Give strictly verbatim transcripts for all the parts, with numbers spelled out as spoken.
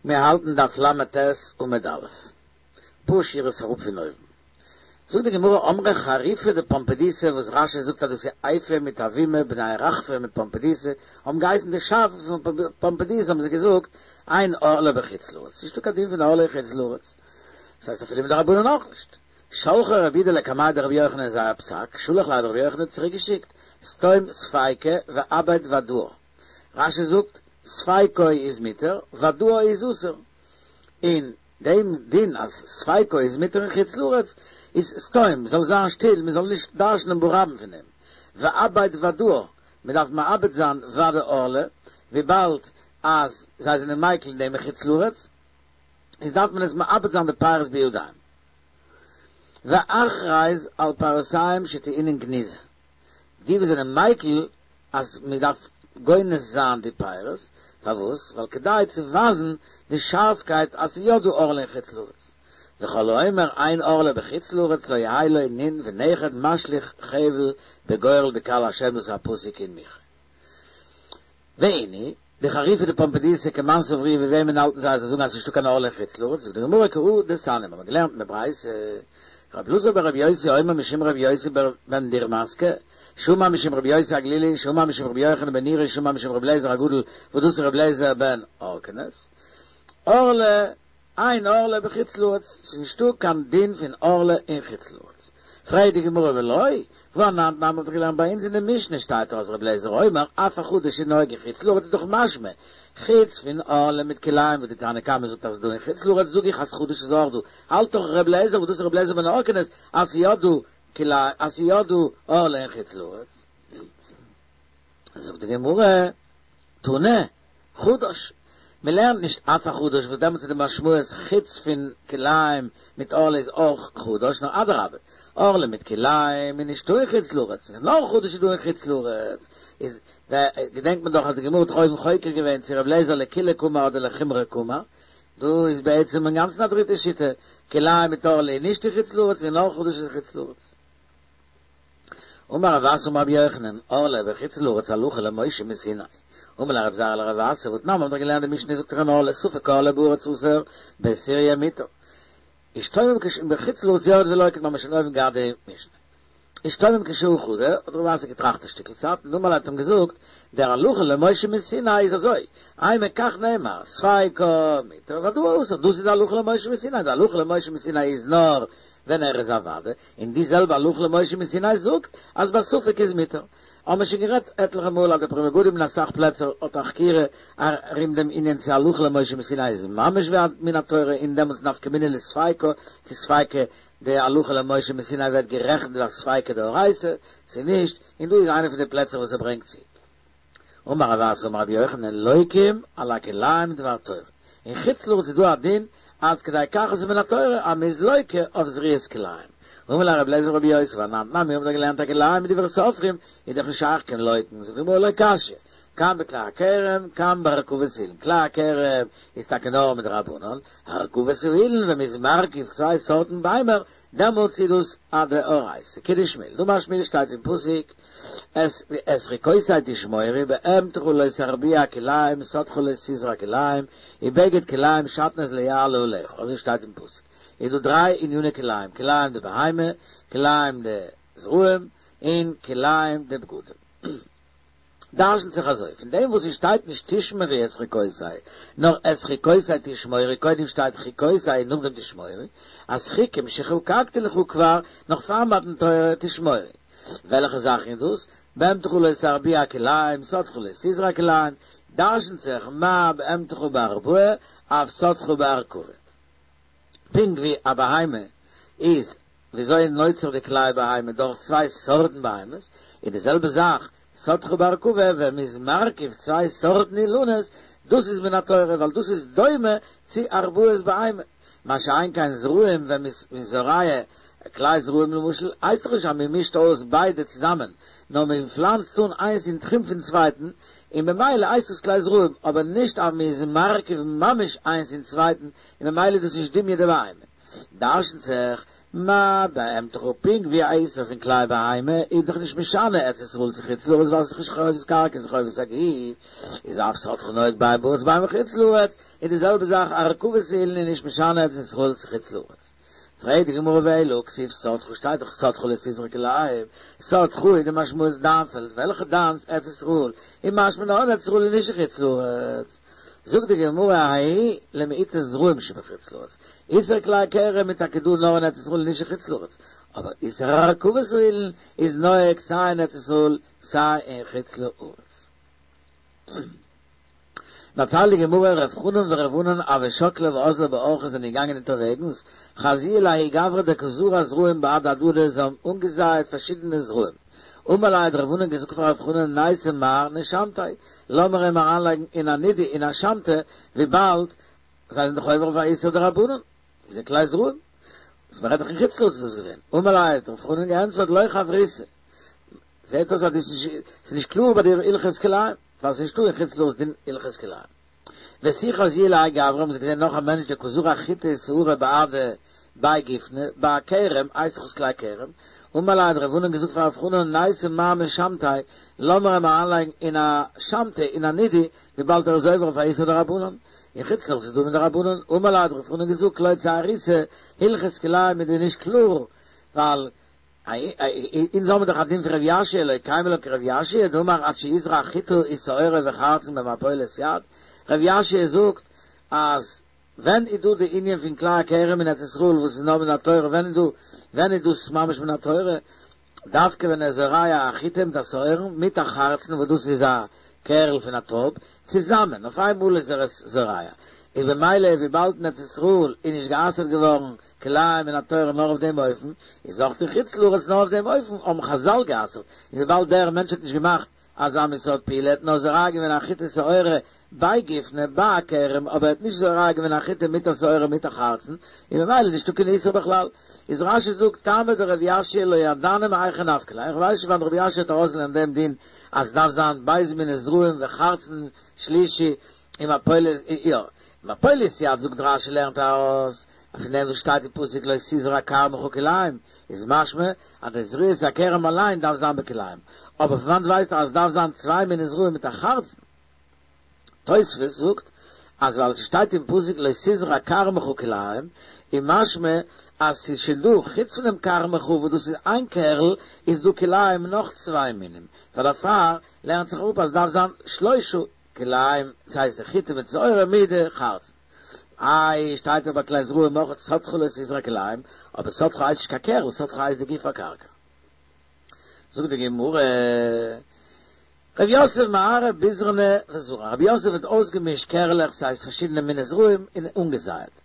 מיר האלטן דף ל"ט עמוד א', פאר שורות אראפ פון אויבן. זאגט די גמרא אמרי חריפי דפומבדיתא וואס רש"י זאגט אז דאס איז איפא מיט אבימי בני רחפי מפומבדיתא האבן געהייסן די שאפן פון פומבדיתא האבן זיי געזאגט אין ערלה בחוץ לארץ נישטא קיין דין פון ערלה אין חוץ לארץ דאס הייסט אפילו מדרבנן אויך נישט שלחו רבי יהודה לקמיה דרבי יוחנן זייער פסק שלח ליה האט רבי יוחנן צוריק געשיקט סתום ספיקא ואבד ודאה רש"י זאגט ספיקו איז מותר, ודאו איז אסור. און דעם דין אז ספיקו איז מותר אין חוץ לארץ איז סתום, זאל זיין שטיל, מען זאל נישט דרש'נען ברבים פון דעם. ואבד ודאה, מען דארף מאבד זיין ודאי ערלה, וויבאלד אז זיי זענען מיקל אין דעם אין חוץ לארץ, איז דארף מען עס מאבד זיין די פירות בידיים. ואכריז על פירותיהם שטעונין גניזה. די וואס זענען מיקל אז מען דארף גונז זיין די פירות, פארוואס? ווייל כדי צו ווייזן די שארפקייט אז ס'איז יא דא ערלה אין חוץ לארץ. וכל האומר אין ערלה בחוץ לארץ לא יהא לו נין ונכד משליך חבל בגורל בקהל השם דאס איז א פסוק אין מיכה. ואינהו, די חריפי דפומבדיתא כמאן סברוה ווי וועמען האלטן זיי אז זיי זאגן אז ס'נישטא קיין ערלה אין חוץ לארץ, זאגט די גמרא כהא דתניא מיר האבן געלערנט אין די ברייתא רבי אלעזר ברבי יוסי אומר משום רבי יוסי בן דורמסקא, שאמר משום רבי יוסי הגלילי, שאמר משום רבי יוחנן בן נורי, שאמר משום רבי אליעזר הגדול, וואס דאס איז רבי אליעזר בן הורקנוס. ערלה, אין ערלה בחוץ לארץ, ס'איז נישטא קיין דין פון ערלה אין חוץ לארץ. פרעגט די גמרא ולא, והא אנן תנן מ'האט דאך געלערנט ביי אונז אין די משנה שטייט דאך אז רבי אליעזר אומר אף החדש אינו נוהג אין חוץ לארץ איז דאך משמע חוץ פון ערלה מיט כלאים וואס די תנא קמא זאגט אז ס'איז דא אין חוץ לארץ זאג איך אז חדש איז אויך דא האלט דאך ר' אליעזר וואס דאס איז ר' אליעזר בן הורקנוס אז ס'איז יא דא כלאים אז ס'איז יא דא ערלה אין חוץ לארץ זאגט די גמרא תנא חדש מען לערנט נישט אף החדש וואס דעמאלטס איז די משמעות חוץ פון כלאים מיט ערלה איז אויך חדש נאר אדרבה ערלה מיט כלאים איז נישטא אין חוץ לארץ נאר חדש איז דא אין חוץ לארץ איז געדענקט מען דאך אז די גמרא האט דאך אויבן חוקר געווען צו ר' אליעזר לקולא קאמר אדער לחומרא קאמר דא איז בעצם אינגאנצן א דריטע שיטה כלאים מיט ערלה איז נישט אין חוץ לארץ און נאר חדש איז אין חוץ לארץ. אמר רב אסי אמר רבי יוחנן, ערלה בחוץ לארץ הלכה למשה מסיני. אמר ליה רב זירא לרב אסי, והתנן מ'האט דאך געלערנט די משנה זאגט דאך אין ערלה ספק ערלה בארץ אסור, בסוריא מותר. אשתומם כש בחוץ לארץ יורד ולוקט מ'האמיר שוין אויבן געהאט די משנה. אשתומם כשעה חדא, האט רב אסי געטראכט א שטיקל צייט און אמר ליה האט אים געזאגט, דער הלכה למשה מסיני איז אזוי, אימא כך נאמר, ספיקו מותר ודאו אסור, דאס איז די הלכה למשה מסיני, די הלכה למשה מסיני איז נאר ווען ער איז א ודאי, און די זעלבע הלכה למשה מסיני זאגט אז בספק איז מותר. האבן מיר שוין גערעדט עטליכע מאל אז די פרי מגדים אין אסאך פלעצער האט א חקירה ארום דעם ענין צו הלכה למשה מסיני איז ממש ווי א מן התורה און דעמאלטס נפקא מינה לספיקא צו ספיקא די הלכה למשה מסיני ווערט גערעכנט ווי א ספיקא דאורייתא צו נישט, און דא איז איינע פון די פלעצער וואס ער ברענגט צו. אמר רב אסי אמר רבי יוחנן לוקים על הכלאים דבר תורה, אין חוץ לארץ איז דא א דין עד כדי כך אז ס'איז מן התורה אז מ'איז לוקה אויף זריעת כלאים. אמר ליה רבי אליעזר לרבי יוסי והא אנן תנן מיר האבן דאך געלערנט הכלאים מדברי סופרים איז דאך נישט שייך קיין לוקין, זאגט די גמרא לא קשיא, כאן בכלאי הכרם כאן בהרכבת האילן, כלאי הכרם איז טאקע נאר מדרבנן, הרכבת האילן ווען מ'איז מרכיב צוויי סארטן ביימער דעמאלטס איז דאס א דאורייתא, כדשמואל, דאמר שמואל שטייט אין פסוק את את חוקותי תשמורו בהמתך לא תרביע כלאים שדך לא תזרע כלאים ובגד כלאים שעטנז לא יעלה עליך, אזוי שטייט אין פסוק, איז דא דריי עניני כלאים, כלאים דבהמה, כלאים דזרעים, און כלאים דבגדים. דרשנ'ט זיך אזוי, פון דעם וואס עס שטייט נישט תשמרי את חוקותי, נאר את חוקותי תשמורי, קודם שטייט חוקותי און נאכדעם תשמורי, אז חוקים שחקקתי לך כבר, נאך פאר מתן תורה, תשמורי. וועלכע זאכן איז דאס? בהמתך לא תרביע כלאים, שדך לא תזרע כלאים, דרשנ'ט זיך מה בהמתך בהרבעה, אף שדך בהרכבה. פונקט ווי א בהמה איז וויאזוי נוצר די כלאי בהמה דורך צוויי סארטן בהמות, איז די זעלבע זאך שדך בהרכבה ווען מ'איז מרכיב צוויי סארטן אילנות, דאס איז מן התורה ווייל דאס איז דומה צו הרבעת בהמה, מה שאין כן זרעים ווען מ'איז זורע כלאי זרעים למשל הייסט דאך נישט אז מ'מישט אויס ביידע צוזאמען, נאר מ'פלאנצט אן איינס אין תחום פון צווייטן, און ממילא הייסט דאס כלאי זרעים, אבער נישט אז מ'איז מרכיב ממש איינס אין צווייטן, און ממילא איז דאס נישט דומיא דבהמה. דרשנ'ט זיך, מה בהמתך פונקט ווי א איסור פון כלאי בהמה איז דאך נישט משנה ארץ ישראל צו חוץ לארץ ווייל ס'איז נישט חובת קרקע ס'איז חובת הגוף איז אף שדך נוהג בין בארץ בין בחוץ לארץ איז די זעלבע זאך א הרכבת אילן איז נישט משנה ארץ ישראל צו חוץ לארץ. פרעגט די גמרא ואלא הכתיב שדך שטייט דאך שדך לא תזרע כלאים שדך איז די משמעות דיין פעלד וועלכע דיינס ארץ ישראל איז משמע נאר אין ארץ ישראל און נישט אין חוץ לארץ זאגט די גמרא ההיא למעוטי זרעים שבחוץ לארץ איסור כלאי כרם איז טאקע דא נאר אין ארץ ישראל און נישט אין חוץ לארץ אבער איסור הרכבת האילן איז נוהג סיי אין ארץ ישראל סיי אין חוץ לארץ. דערציילט די גמרא, ר' חנן ור' ענן הוו שקלי ואזלי באורחא זענען געגאנגען אונטערוועגנס, חזיוהו לההוא גברא דקא זרע זרעים בהדי הדדי זיי האבן אנגעזייעט פארשידענע זרעים, אמר ליה האט ר' ענן געזאגט פאר ר' חנן נייתי מר נשמתיה, לאמיר אים אריינלייגן אין א נידוי אין א שמתא, וויבאלד זיי זענען דאך עובר אויף א איסור דרבנן, איז ער כלאי זרעים, וואס מ'רעדט דאך אין חוץ לארץ איז דאס געווען, אמר ליה האט ר' חנן געענטפערט לא חבריתא, זעהט אויס אז דאס איז נישט קלאר ביי דיר הלכות כלאים, ווייל ס'איז נישטא אין חוץ לארץ דין הלכות כלאים. ותו חזיוהו להאי גברא האבן זיי געזעהן נאך א מענטש דקא זרע חיטי ושערי בהדי בי גופנא, ביי א כרם, הייסט דאך עס כלאי כרם, אמר ליה האט ר' ענן געזאגט פאר ר' חנן נייתי מר נשמתיה, לאמיר אים אריינלייגן אין א שמתא אין א נידוי, וויבאלד ער איז עובר אויף א איסור דרבנן. אין חוץ לארץ איז דא מדרבנן, אמר ליה האט ר' חנן געזאגט לא צעריתו, הלכות כלאים איז דיר נישט קלאר, ווייל אונז האבן דאך א דין פון ר' יאשיה לא קיימא לן כר' יאשיה דאמר עד שיזרע חיטה ושעורה וחרצן במפולת יד, ר' יאשיה זאגט אז ווען איז דא די ענין פון כלאי הכרם אין ארץ ישראל וואס איז נאר מן התורה ווען איז דא ווען איז דאס ממש מן התורה דווקא ווען ער איז זורע א חיטה מיט א שעורה מיט א חרצן וואס דאס איז א קערל פון א טרויב צוזאמען אויף איין מאל איז ער עס זורע איז במילא וויבאלד אין ארץ ישראל איז נישט גע'אסר'ט געווארן כלאים מן התורה נאר אויף דעם אופן, איז אויך אין חוץ לארץ נאר אויף דעם אופן האבן חזל גע'אסר'ט, און וויבאלד דער מענטש האט נישט געמאכט אזא מין סארט פעולה, ער האט נאר זורע געווען א חיטה שעורה ביי גופנא, ביי א כרם, אבער ער האט נישט זורע געווען א חיטה מיט א שעורה מיט א חרצן, איז ממילא נישטא קיין איסור בכלל. איז רש"י זאגט טעמא דרב יאשיה לא ידענא מהיכא נפקא ליה, איך ווייס נישט וואנעט רב יאשיה האט ארויסגעלערנט דעם דין אז ס'דארף זיין ב' מיני זרעים וחרצן שלישי ומפולת, יא, מפולת יד זאגט רש"י לערנט ארויס אז פון דעם וואס שטייט אין פסוק לא תזרע כרמך כלאים איז משמע אז די זריעת הכרם אליין דארף זיין בכלאים, אבער פון וואנט ווייסט ער אז עס דארף זיין צוויי מיני זרעים מיט א חרצן? תוספות זאגט אז ווייל ס'שטייט אין פסוק לא תזרע כרמך כלאים איז משמע אז ס'איז שוין דא חוץ פון דעם כרמך וואס דאס איז איין קערל איז דא כלאים נאך צוויי מינים, פאר דערפאר לערנט זיך אפ אז ס'דארף זיין שלושה כלאים, ס'הייסט די חיטה מיט שעורה מיט די חרצן. איי, שטייט דאך ביי כלאי זרעים אויך שדך לא תזרע כלאים, אבער שדך הייסט נישט קיין קערל, שדך הייסט די גוף הקרקע. זאגט די גמרא, רב יוסף מערב ביזרני וזרע, רב יוסף האט אויסגעמישט קערלעך, ס'הייסט פארשידענע מיני זרעים, און אנגעזייעט.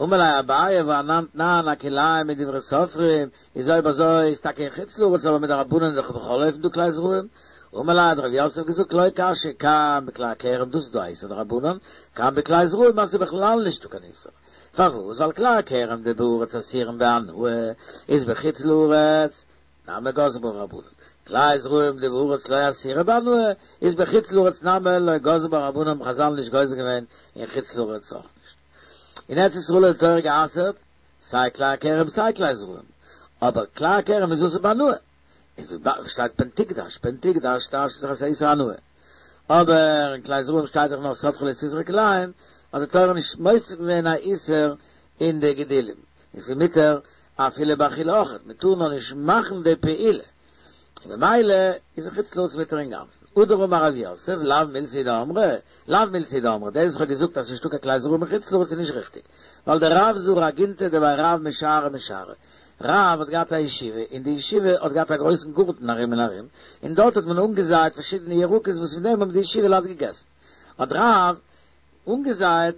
אמר ליה אביי והא אנן תנן הכלאים מדברי סופרים, איז אויב אזוי איז טאקע אין חוץ לארץ אבער מדרבנן איז דאך בכל אופן דא כלאי זרעים. אמר ליה האט רב יוסף געזאגט לא קשיא כאן בכלאי הכרם דאס איז דא א איסור דרבנן, כאן בכלאי זרעים אז ס'איז בכלל נישטא קיין איסור. פארוואס? ווייל כלאי הכרם דבארץ אסורין בהנאה איז בחוץ לארץ נמי גזרו בה רבנן, כלאי זרעים דבארץ לא אסירי בהנאה איז בחוץ לארץ נמי לא גזרו בה רבנן האבן חזל נישט גוזר געווען אין חוץ לארץ אויך נישט. אין ארץ ישראל האט די תורה גע'אסר'ט סיי כלאי הכרם סיי כלאי זרעים, אבער כלאי הכרם איז אסור בהנאה, איז וויבאלד שטייט פן תקדש, פן תקדש טייטשט זיך אז ס'איז איסור הנאה, אבער אין כלאי זרעים שטייט דאך נאר שדך לא תזרע כלאים, האט די תורה נישט מוסיף געווען א איסור אין די גידולים, און ס'איז מותר אפילו באכילה אויכעט, מ'טאר נאר נישט מאכן די פעולה, און במילא איז אין חוץ לארץ מותר אינגאנצן. הדר אמר רב יוסף, לאו מילתא היא דאמרי, לאו מילתא היא דאמרי, דאס וואס כ'האב געזאגט אז ס'נישטא קיין כלאי זרעים אין חוץ לארץ איז נישט ריכטיג, ווייל דרב זרע אגינתא דבי רב משערי משערי, רב האט געהאט א ישיבה, און די ישיבה האט געהאט א גרויסן גארטן ארום און ארום, און דארט האט מען אנגעזייט פארשידענע ירקות וואס פון דעם האבן די ישיבה לייט געגעסן. האט רב אנגעזייט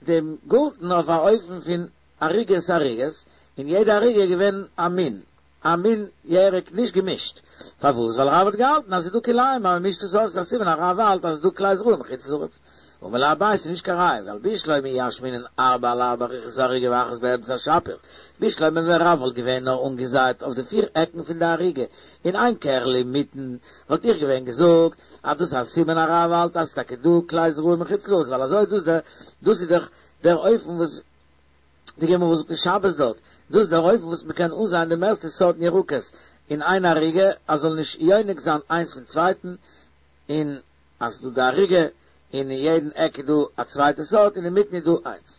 דעם גארטן אויף א אופן פון ערוגות ערוגות, און יעדע ערוגה איז געווען א מין, א מין ירק נישט געמישט, פארוואס? ווייל רב האט געהאלטן אז ס'איז דא כלאים אז מ'מישט עס אויס איז א סימן אז רב האלט אז ס'איז דא כלאי זרעים חוץ לארץ. אמר ליה אביי ס'איז נישט קיין ראיה ווייל בשלמא אי אשמעינן ארבע על ארבע רוחות הערוגה ואחת באמצע שפיר, בשלמא ווען רב וואלט געווען נאר אנגעזייט אויף די פיר עקן פון די ערוגה און איין קערל אינמיטן וואלט איך געווען געזאגט אז דאס איז א סימן אז רב האלט אז ס'איז טאקע דא כלאי זרעים אין חוץ לארץ ווייל אזוי דאס דאס איז דאך דער אופן וואס די גמרא זאגט אין שבת דארט, דאס איז דער אופן וואס מ'קען אנזייען די מערסטע סארטן ירקות אין איין ערוגה אז זאל נישט יונק זיין איינס פון צווייטן, און אז ס'דא די ערוגה און אין יעדן עק איז דא א צווייטע סארט און אינמיטן איז דא איינס.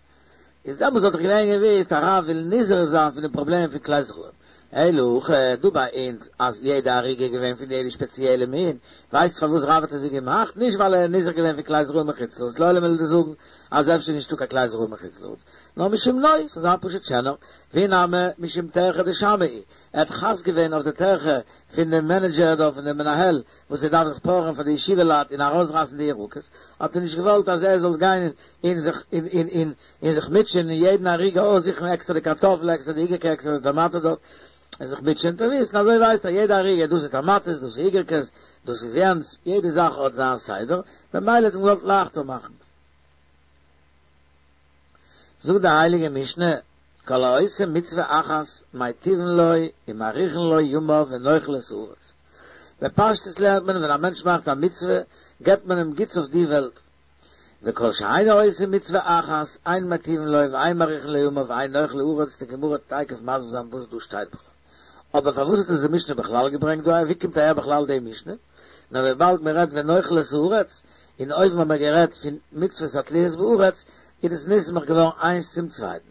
איז דעמאלס וואלט איך געווען געוויסט אז רב וויל נזהר זיין פון די פראבלעם פון כלי זרעים. אלא הכא דא ביי אונז אז יעדע ערוגה איז געווען פון יעדע שפעציעלע מין, ווייסט פארוואס רב האט אזוי געמאכט? נישט ווייל ער איז נזהר געווען פון כלי זרעים מחוץ לארץ, לעולם וועל איך דיר זאגן אז אפשר איז נישטא קיין כלי זרעים מחוץ לארץ, נאר משום נוי, ס'זאל זיין פשוט שענער, ואי נמי משום טרחא דשמעא, ער האט חס געווען אויף די טרחה פון דעם מענעדזשער דא פון דעם מנהל וואס ער דארף זיך פארען פאר די ישיבה לייט און ארויסרייסן די ירקות, האט ער נישט געוואלט אז ער זאל גיין און זיך און און און זיך מוטשען אין יעדן ערוגה אויסזוכן עקסטער די קארטאפל עקסטער די איגערקע עקסטער די טאמאטע דארט און זיך מוטשען צו וויסן אזוי ווייסט ער יעדע ערוגה דאס איז טאמאטעס דאס איז איגערקעס דאס איז יענץ יעדע זאך האט זיין סדר במילא האט אים געוואלט לייכטער מאכן. זאגט די הייליגע משנה, כל העושה מצוה אחת מיטיבין לו ומאריכין לו ימיו ונוחל את הארץ. בפשטות לערנט מען ווען א מענטש מאכט א מצוה געבט מען אים גוטס אויף די וועלט, וכל שאינו עושה מצוה אחת אין מיטיבין לו ואין מאריכין לו ימיו ואין נוחל הארץ, די גמרא וועט תיכף מסביר זיין וואס דא שטייט בכלל. אבער פארוואס האט עס די משנה בכלל געברענגט דא? ווי קומט אהער בכלל די משנה? נאר וויבאלד מען רעדט ונוחל את הארץ, און אויבן האבן מיר גערעדט פון מצוות התלויות בארץ, איז עס נסמך געווארן איינס צום צווייטן.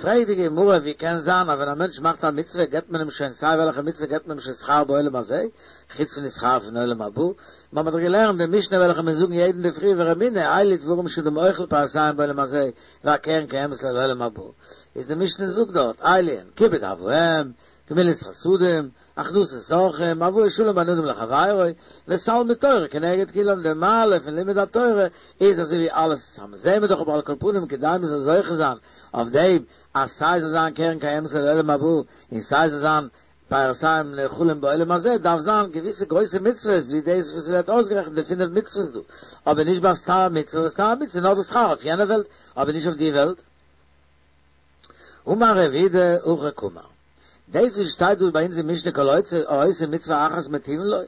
פרעגט די גמרא, ווי קען זיין אז ווען א מענטש מאכט א מצוה געבט מען אים שוין סיי וועלכע מצוה געבט מען אים שוין שכר בעולם הזה, חוץ פון די שכר פון עולם הבא? מיר האבן דאך געלערנט די משנה וועלכע מיר זאגן יעדן אינדערפרי ורמינהי אלו דברים שאדם אוכל פירותיהם בעולם הזה והקרן קיימת לו לעולם הבא, איז די משנה זאגט דארט אלו הן כיבוד אב ואם, גמילות חסדים, הכנסת אורחים, הבאת שלום בין אדם לחבירו, ותלמוד תורה כנגד כולם, די מעלה פון לימוד התורה איז אזוי ווי אלעס צוזאמען, זעהן מיר דאך אבער על כל פנים כדי מען זאל זוכה זיין אויף דעם אז סיי זאל זיין קרן קיימת לעולם הבא און סיי זאל זיין פירותיהם נאכלים בעולם הזה דארף זיין געוויסע גרויסע מצוות ווי דאס וואס ווערט אויסגערעכנט די פינף מצוות דא, אבער נישט ביי סתם מצוה וואס סתם מצוה איז נאר דא שכר אויף יענע וועלט אבער נישט אויף די וועלט. אמר רב אידי הכי קאמר, דאס וואס שטייט דא ביי אונז אין משנה כל העושה מצוה אחת מטיבין לו,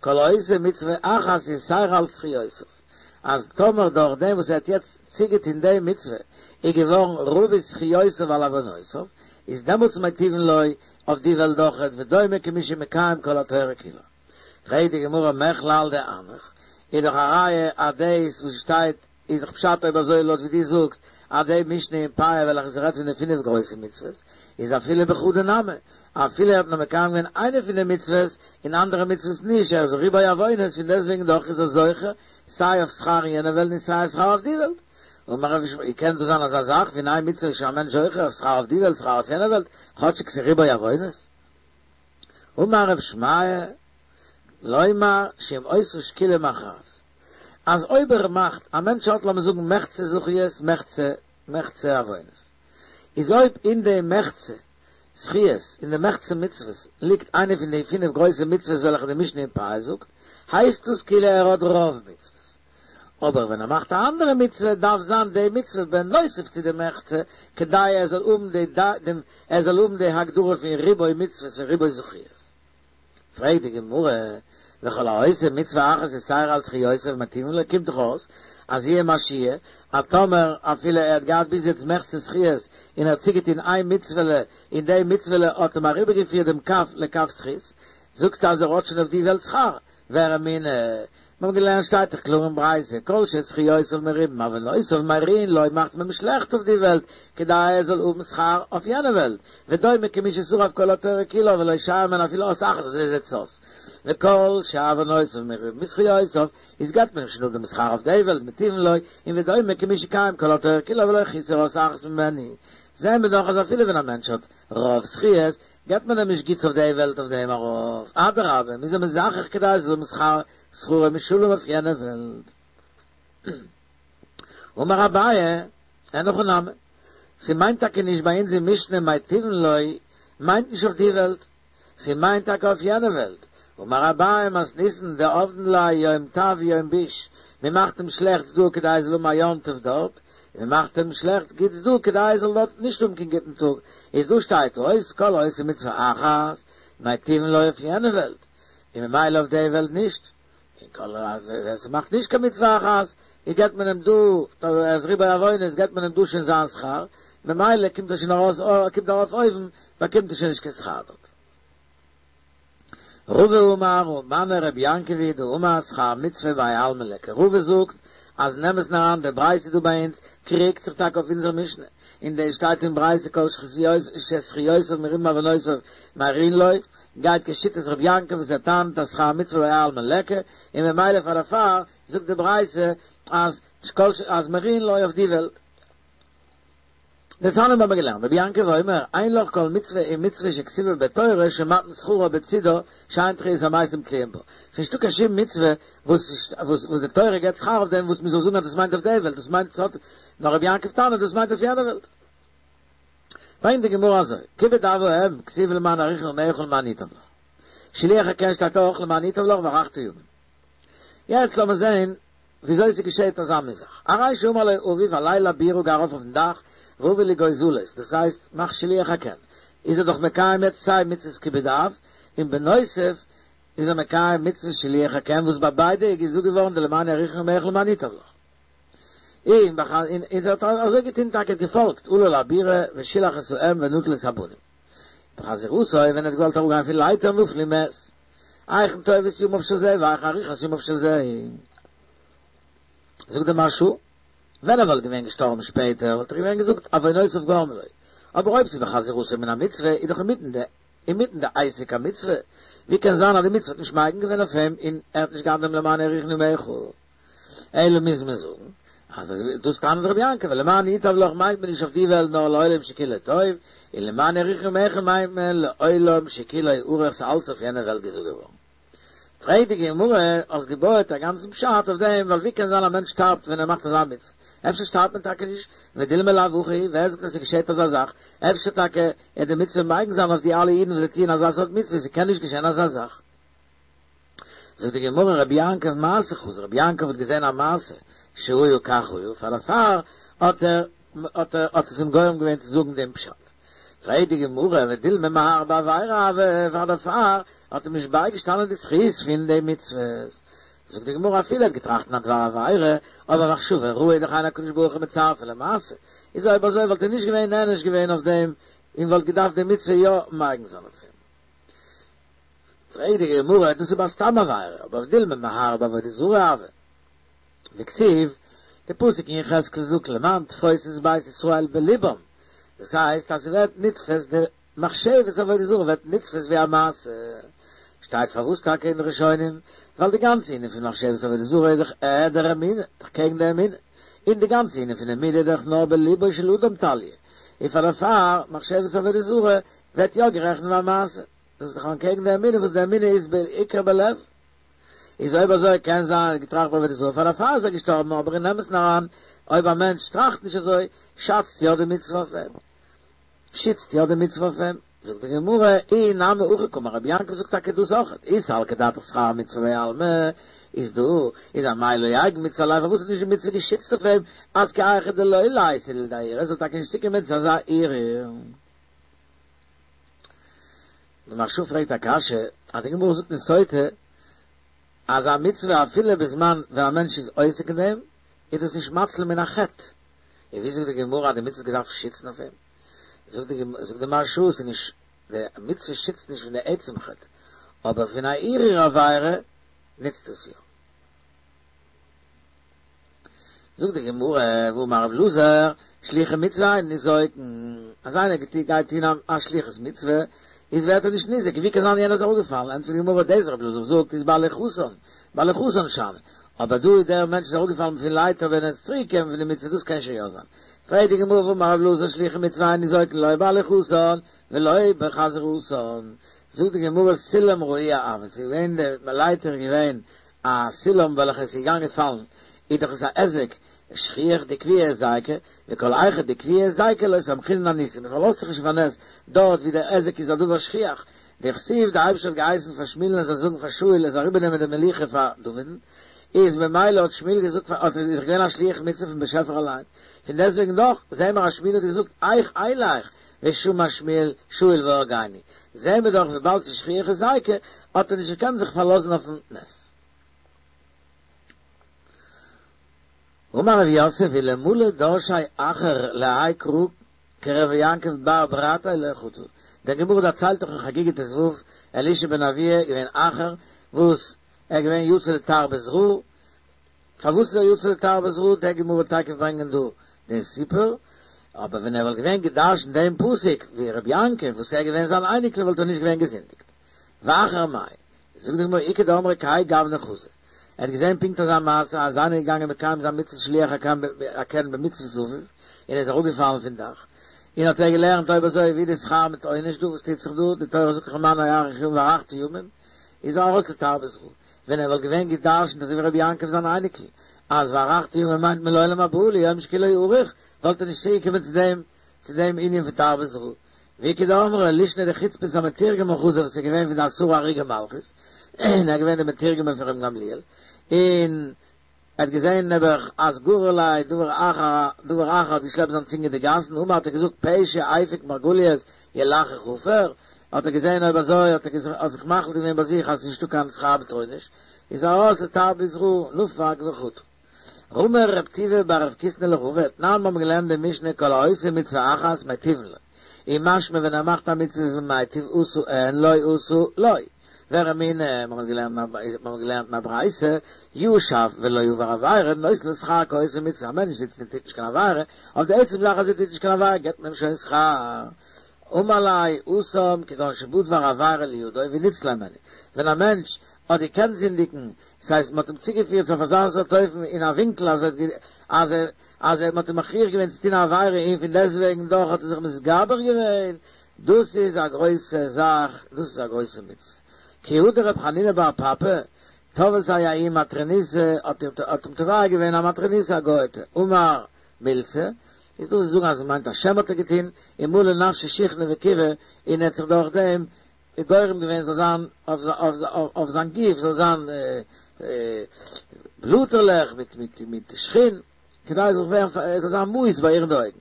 כל העושה מצוה אחת יתירה על זכיותיו, אז טאמער דורך דעם וואס ער האט יעצט צוגעטון די מצוה איז געווארן רבו זכיותיו על עוונותיו, איז דעמאלטס מטיבין לו אויף די וועלט אויכעט ודומה כמי שמקיים כל התורה כולה. פרעגט די גמרא מכלל דאנח, איז דאך א ראיה אז דאס וואס שטייט איז דאך פשט אויב אזוי לויט ווי דו זאגסט אז די משנה אין פאה וועלכע ס'רעדט פון די פינף גרויסע מצוות איז אפילו בחדא נמי אפילו ער האט נאר מקיים געווען איינע פון די מצוות און אנדערע מצוות נישט ער איז ריבוי עוונות פון דעסטוועגן דאך איז ער זוכה סיי אויף שכר אין יענע וועלט און סיי אויף שכר אויף די וועלט. אמר רב ישמעאל, ווי קען דאס זיין אזא זאך ווי אין איין מצוה איז שוין א מענטש זוכה אויף שכר אויף די וועלט שכר אויף יענע וועלט כאטשיג ס'איז ריבוי עוונות? אמר רב שמעיה, לומר שאם עושה שקילה מכרעת. אז אויב ער מאכט, א מענטש האט לאמיר זאגן מחצה זכיות מחצה מחצה עוונות, איז אויב אין די מחצה זכיות, אין די מחצה מצוות, ליגט איינע פון די פינף גרויסע מצוות וועלכע די משנה אין פאה זאגט, הייסט דאס כאילו ער האט רוב מצוות. אבער ווען ער מאכט א אנדערע מצוה דארף זיין די מצוה בנוסף צו די מחצה כדי ער זאל האבן די דעם ער זאל האבן די הגדרה פון ריבוי מצוות פון ריבוי זכיות. פרעגט די גמרא, וכל העושה מצוה אחת יתירה על זכיותיו מטיבין לו, קומט דאך אויס אז יהיה מה שיהיה, אז טאמער אפילו ער האט געהאט ביז יעצט מחצה זכיות און ער האט צוגעטון איין מצוה'לע און די מצוה'לע האט אים אריבערגעפירט דעם כף לכף זכות, זאגסטו אז ער האט שוין אויף די וועלט שכר, ורמינהי, מיר האבן געלערנט שטייט דאך קלאר אין ברייתא, כל שזכיותיו מרובים עוונותיו מרעין לו מאכט מען אים שלעכט אויף די וועלט כדי ער זאל האבן שכר אויף יענע וועלט, ודומה כמי ששרף כל התורה כולה ולא שייר ממנה אפילו אות אחת אזוי זעט עס אויס, וכל שעוונותיו מרובים מזכיותיו איז געבט מען אים שוין אפ דעם שכר אויף די וועלט מטיבין לו, און ודומה כמי שקיים כל התורה כולה ולא חיסר אות אחת ממנה, זעהן מיר דאך אז אפילו ווען א מענטש האט רוב זכיות געבט מען אים נישט גוטס אויף די וועלט אויף דעם ארויף, אדרבה, מ'איז אים מזכך כדי ער זאל האבן שכר שכרו משולם אויף יענע וועלט. אמר אביי, אין הכי נמי, ס'מיינט טאקע נישט ביי אונז אין משנה מיטיבין לו מיינט נישט אויף די וועלט, ס'מיינט טאקע אויף יענע וועלט, אמר אביי מתניתין דעבדין ליה יום טב ויום ביש, מ'מאכט אים שלעכטס דא כדי ער זאל האבן א יום טוב דארט, און מ'מאכט אים שלעכט גוטס דא כדי ער זאל דארט נישט האבן קיין גוטן טאג, איז דא שטייט אויס כל העושה מצוה אחת מיטיבין לו אויף יענע וועלט, און ממילא אויף די וועלט נישט, און כל ווער ס'מאכט נישט קיין מצוה אחת, איז געבט מען אים דא, ער איז ריבוי עוונות, געבט מען אים דא שוין זיין שכר, ממילא קומט ער שוין ארויס, קומט ארויף אויבן, באקומט ער שוין נישט קיין שכר דארט. רבא אמר ומני רבי יעקב היא דאמר שכר מצוה בהאי עלמא ליכא. רבא זאגט אז אין אמת'ן אריין די ברייתא דא ביי אונז קריגט זיך טאקע אויף אונזער משנה, אין דעם שטייט אין ברייתא כל שזכיותיו מרובין מעוונותיו מריעין לו, גייט כשיטת רבי יעקב וואס ער טענה'ט אז שכר מצוה בהאי עלמא ליכא, און ממילא פאר דערפאר זאגט די ברייתא אז כל אז מריעין לו אויף די וועלט. דתניא האבן מיר געלערנט, רבי יעקב אומר, אין לך כל מצוה ומצוה שכתובה בתורה שמתן שכרה בצידה שאין תחיית המתים תלויים בה. ס'איז נישטא קיין שום מצוה וואס וואס די תורה געבט שכר אויף דעם וואס מ'זאל זאגן אז דאס מיינט אויף די וועלט, דאס מיינט ס'האט, נאר רבי יעקב טענה'ט דאס מיינט אויף יענע וועלט. ברענגט די גמרא אזוי, כיבוד אב ואם, כתיב למען יאריכון ימיך ולמען ייטב לך. שילוח הקן שטייט אויך למען ייטב לך והארכת ימים. יעצט לאמיר זעהן וויאזוי ס'געשעהט אזא מין זאך. הרי שאמר לו אביו עלה לבירה גיי ארויף אויפן דאך והבא לי גוזלות, דאס הייסט מאך שילוח הקן, איז ער דאך מקיים יעצט סיי מצוות כיבוד אב, און בנוסף איז ער מקיים מצוות שילוח הקן וואס ביי ביידע איז געזאגט געווארן די למען יאריכון ימיך ולמען ייטב לך. און און ער האט אזוי געטון טאקע געפאלגט עלה לבירה ושילח את האם ונטל את הבנים. בחזירתו ווען ער האט געוואלט אראפגיין פון לייטער נפל ומת. היכן טובת ימיו של זה והיכן אריכות ימיו של זה. זאגט דער מהרש"א, ווען ער וואלט געווען געשטארבן שפעטער וואלט איך געווען געזאגט עוונותיו גרמו לו, אבער אויב ס'איז בחזירתו מן המצוה איז דאך אינמיטן די אינמיטן די עסק המצוה, ווי קען זיין אז די מצוה האט נישט מגין געווען אויף אים און ער האט נישט געהאט דעם למען יאריכון ימיך? אלא מוז מען זאגן אז דאס טענה'ט רבי יעקב, למען ייטב לך מיינט מען נישט אויף די וועלט נאר לעולם שכולו טוב, און למען יאריכון ימיך מיינט מען לעולם שכולו ארוך ס'איז אלץ אויף יענע וועלט געזאגט געווארן. פרעגט די גמרא, האסט געבויעט א גאנצן פשט אויף דעם, ווייל ווי קען זיין א מענטש שטארבט ווען ער מאכט אזא מצוה? אפשר שטארבט מען טאקע נישט, ודילמא לאו הכי, ווער זאגט אז ס'געשעט אזא זאך? אפשר טאקע וועט די מצוה מגין זיין אויף די אלע אידן וואס זיי טוען אזא סארט מצוה, ס'קען נישט געשען אזא זאך. זאגט די גמרא, רבי יעקב מעשה חזא, רבי יעקב האט געזען א מעשה שהיה כך היה, פאר דערפאר האט ער האט ער האט עס אים גורם געווען צו זאגן דעם פשט. פרעגט די גמרא, ודילמא מהרהר בעבירה הוה, פאר דערפאר האט אים נישט בייגעשטאנען די זכות פון די מצוות. זאגט די גמרא, אפילו ער האט געטראכט אין א דבר עבירה, אבער מחשבה רעה איז דאך אין הקדוש ברוך הוא מצרפה למעשה, איז אויב אזוי וואלט ער נישט געווען נענש געווען אויף דעם, און וואלט געדארפט די מצוה יא מגין זיין אויף אים. פרעגט די גמרא, דאס איז ביי סתם עבירה, אבער ודילמא מהרהר בעבודה זרה הוה. דכתיב, די פסוק אין יחזקאל זאגט למען תפוש את בית ישראל בלבם, דאס הייסט אז ס'ווערט נתפס די מחשבת עבודה זרה ווערט נתפס ווי א מעשה, שטייט פארוואס טאקע אין די ראשונים, ווייל די גאנצע ענין פון מחשבת עבודה זרה איז דאך העדר אמונה, דאך קעגן די אמונה, און די גאנצע ענין פון אמונה איז דאך נאר בליבו של אדם תליא, און פאר דערפאר מחשבת עבודה זרה ווערט יא גערעכנט ווי א מעשה, דאס איז דאך אנטקעגן די אמונה וואס די אמונה איז בעיקר בלב. איז אויב אזוי קען זיין ער האט געטראכט בעבודה זרה פאר דערפאר איז ער געשטארבן אבער אין אמת'ן אריין אויב א מענטש טראכט נישט אזוי שאצט יא די מצוה אויף אים שיצט יא די מצוה אויף אים זאגט די גמרא אי נמי הכי קאמר רבי יעקב זאגט טאקע דאס אויכעט אי סלקא דעתך שכר מצוה בהאי עלמא איז דא איז אמאי לא אגין מצוה עליה פארוואס האט נישט די מצוה געשיצט אויף אים אז כי היכי דלא ליתי לידי הרהור ער זאל טאקע נישט צוקומען צו אזא הרהור. די מהרש"א פרעגט א קשיא אז די גמרא זאגט אין סוטה אז א מצוה אפילו בזמן ווען א מענטש איז עוסק אין דעם איז דאס נישט מציל מן החטא, און ווי זאגט די גמרא אז די מצוה האט געדארפט שיצן אויף אים? זאגט די זאגט די מהרש"א ס'איז נישט די מצוה שיצט נישט פון די עצם חטא, אבער פון א הרהור עבירה נוצט עס יא. זאגט די גמרא, והאמר רב אלעזר, שלוחי מצוה אין ניזוקין, אז איינער גייט טון א שליחות מצוה, איז ווערט ער נישט ניזוק, ווי קען זיין יענער איז אראפגעפאלן, ענטפערט די גמרא, דאס רב אלעזר זאגט איז בהליכתן, בהליכתן שאני, אבער דא איז דער מענטש איז אראפגעפאלן פון לייטער ווען ער איז צוריק געקומען פון די מצוה, דאס קען שוין יא זיין. פרעגט די גמרא, והאמר רב אלעזר, שלוחי מצוה אין ניזוקין לא בהליכתן ולא בחזרתן, זאגט די גמרא, סולם רעוע הוה, ס'איז געווען די לייטער איז געווען א סולם וועלכע איז געגאנגען פאלן איז דאך עס א היזק שכיח דקביעי היזיקא, וכל היכא דקביעי היזיקא לא סמכינן אניסא, מען פארלאזט זיך נישט אויף א נס דארט ווי דער היזק איז א דבר שכיח, דכתיב די אייבערשטער האט געהייסן פאר שמואל'ן ער זאל זאגן פאר שאול ער זאל אריבערנעמען די מלוכה פאר דוד'ן, איז ממילא האט שמואל געזאגט פאר האט איז דאך געווען א שליח מצוה פון באשעפער אליין, פון דעסטוועגן דאך זעהן מיר אז שמואל האט געזאגט איך אלך ושמע שמואל שאול והרגני, זעהן מיר דאך וויבאלד ס'איז שכיח היזיקא האט ער נישט געקענט זיך פארלאזן אויפן נס. אמר רב יוסף אלמלא דרשיה אחר להאי קרא כרבי יעקב בר ברתיה לא חטא. די גמרא דערציילט דאך אין חגיגה ט"ו, אלישע בן אבויה געווען אחר וואס ער געווען יצא לתרבות רעה, פארוואס איז ער יצא לתרבות רעה, די גמרא וועט תיכף ברענגען דא די סיפור, אבער ווען ער וואלט געווען געדרשנט דעם פסוק ווי רבי יעקב וואס ער געווען זיין אייניקל וואלט ער נישט געווען געזינדיגט. ואחר מאי, זאגט די גמרא איכא דאמרי כהאי גוונא חזא, ער האט געזען פונקט אזא מעשה אז איינער איז געגאנגען מקיים זיין מצות שילוח הקן במצות אביו און ער איז אראפגעפאלן פון דאך, און האט ער געלערנט אויב אזוי ווי די שכר מיט עונש דא וואס טוט זיך דא, די תורה זאגט דאך למען יאריך ימים והארכת ימים, איז ער ארויס לתרבות רעה, ווען ער וואלט געווען געדרשנט אזוי ווי רבי יעקב זיין אייניקל, אז והארכת ימים מיינט מען לעולם הבא ליום שכולו ארוך, וואלט ער נישט צוגעקומען צו דעם צו דעם ענין פון תרבות רעה. ואיכא דאמרי לישנא דחוצפית המתורגמן חזא וואס איז געווען פון די עשרה הרוגי מלכות, און ער איז געווען דער מתורגמן פון רבן גמליאל, און ער האט געזען נעבעך אז גרר ליה דבר אחר דבר אחר האט געשלעפט זיין צונג אין די גאסן, אמר האט ער געזאגט פה שהפיק מרגליות ילחך עפר, האט ער געזען אויב אזוי האט ער זיך מחליט געווען ביי זיך אז עס איז נישטא קיין שכר מיט עונש, איז ער ארויס לתרבות רעה, נפק וחטא. רמי רב טובי בר רב קיסנא לרבא, תנן מיר האבן געלערנט די משנה כל העושה מצוה אחת מיטיבין לו, און משמע ווען ער מאכט א מצוה איז מען מיטיב עשה אין לא עשה לא. ורמינהו, מיר האבן געלערנט מיר האבן געלערנט אין א ברייתא, ישב ולא עבר עבירה, נותנין לו שכר כעושה מצוה, א מענטש זיצט און טוט נישט קיין עבירה, אויף די עצם זאך אז ער טוט נישט קיין עבירה געבט מען אים שוין שכר. אמר ליה התם כגון שבא דבר עבירה לידו וניצלו הימנו, ווען א מענטש האט געקענט זינדיגן, ס'הייסט מ'האט אים צוגעפירט אויף אזא סארט אופן אין א ווינקל אז ער אז ער אז ער מ'האט אים מכריח געווען צו טון א עבירה און פון דעסטוועגן דאך האט ער זיך מתגבר געווען, דאס איז א גרויסע זאך, דאס איז א גרויסע מצוה. כי הא דרב חנינא בר פפא, תבעתיה ההיא מטרוניתא, האט האט אים תובע געווען א מטרוניתא א גוי'טע, אמר מילתא, איז דא וואס זאגן אז עס מיינט א שם האט ער געטון, ומלא נפשיה שיחנא וכיבי, און ער האט זיך דורך דעם גורם געווען זאל זיין אויף זיין גוף זאל זיין בלאטערלעך מיט מיט מיט שחין, כדי ער זאל ווערן ער זאל זיין מאוס ביי איר אין די אויגן.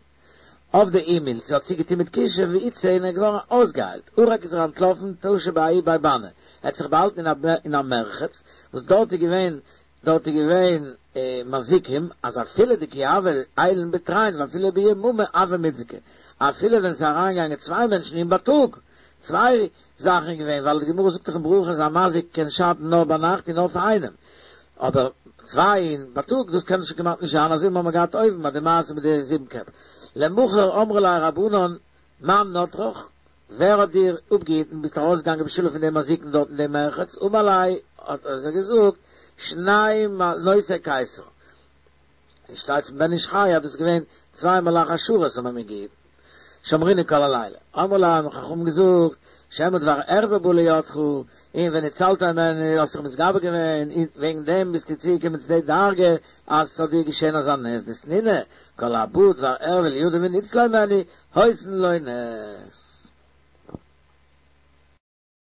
עבדה איהי מילתא האט זי געטון מיט כישוף ואיתסי און ער איז געווארן אויסגעהיילט, ערק איז ער אנטלאפן טשא בההוא בי באני, ער האט זיך באהאלטן אין א מרחץ וואס דארט איז געווען דארט איז געווען מזיקים, אז אפילו דכי הוו עיילין בתרין ואפילו ביממא הוו מיתזקי, אפילו ווען ס'איז אריינגעגאנגען צוויי מענטשן אין בייטאג, צוויי זאכן איז געווען, ווייל די גמרא זאגט דאך אין ברכות אז א מזיק קען שאטן נאר ביינאכט און נאר פאר איינעם, אבער צוויי אין בייטאג דאס קען שוין כמעט נישט זיין, אזוי ווי מיר האבן געהאט אויבן ביי די מעשה מיט די זיבן קעפ. למחר אמרו ליה רבנן מאן נטרך, ווער האט דיר אפגעהיטן, ביסט ארויסגעגאנגען בשלום פון די מזיקין דארט אין דעם מרחץ, אמר להו האט ער זיי געזאגט, שני נושאי קיסר, עס שטייט פון בן איש חי אז דאס איז געווען צוויי מלאכי השרת האבן מיר געהיטן, שמרוני כל הלילה, אמרו ליה האבן חכמים געזאגט, שמא דבר ערווה בא לידך, און וניצלת הימנו האסט זיך מתגבר געווען, און וועגן דעם ביסטו צוגעקומען צו די דרגה אז ס'זאל דיר געשען אזא נס, דתנינא, כל הבא דבר ערווה לידו וניצלו הימנו, עושין לו נס.